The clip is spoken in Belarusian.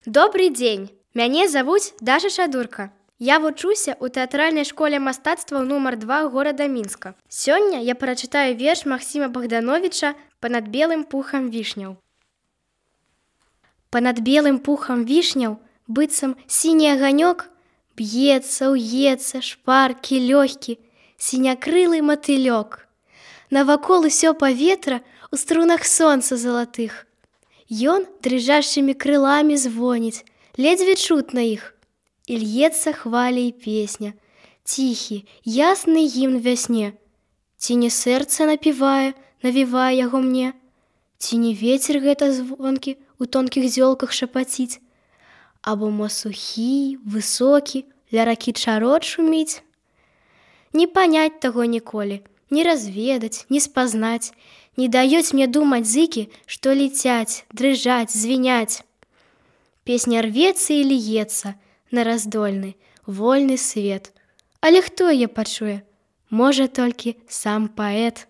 Добрый дзень! Мяне завуць Даша Шадурка. Я вучуся ў тэатральнай школе мастацтваў нумар 2 горада Мінска. Сёння я прачытаю верш Максіма Богдановича «Панад белым пухам вішняў». Панад белым пухам вішняў, быццам сіні аганёк, б'ецца, уецца, шпаркі, лёгкі, сінякрылы матылёк. Навакол усё паветра ў струнах сонца залатых. Ён дрыжашчымі крыламі звоніць, ледзьве чутна іх. І льецца хваля і песня, ціхі, ясны гімн вясне. Ці не сэрца напівае, навівае яго мне? Ці не вецер гэта звонкі у тонкіх зёлках шапаціць? Або мо сухі, высокі, ля ракі чарот шуміць? Не панять таго ніколі, не разведаць, не спазнаць, не даюць мне думаць зыкі, што летяць, дрыжаць, звіняць. Песня рвецца і льецца на раздольны, вольны свет. Але хто яе пачуе? Можа толькі сам паэт.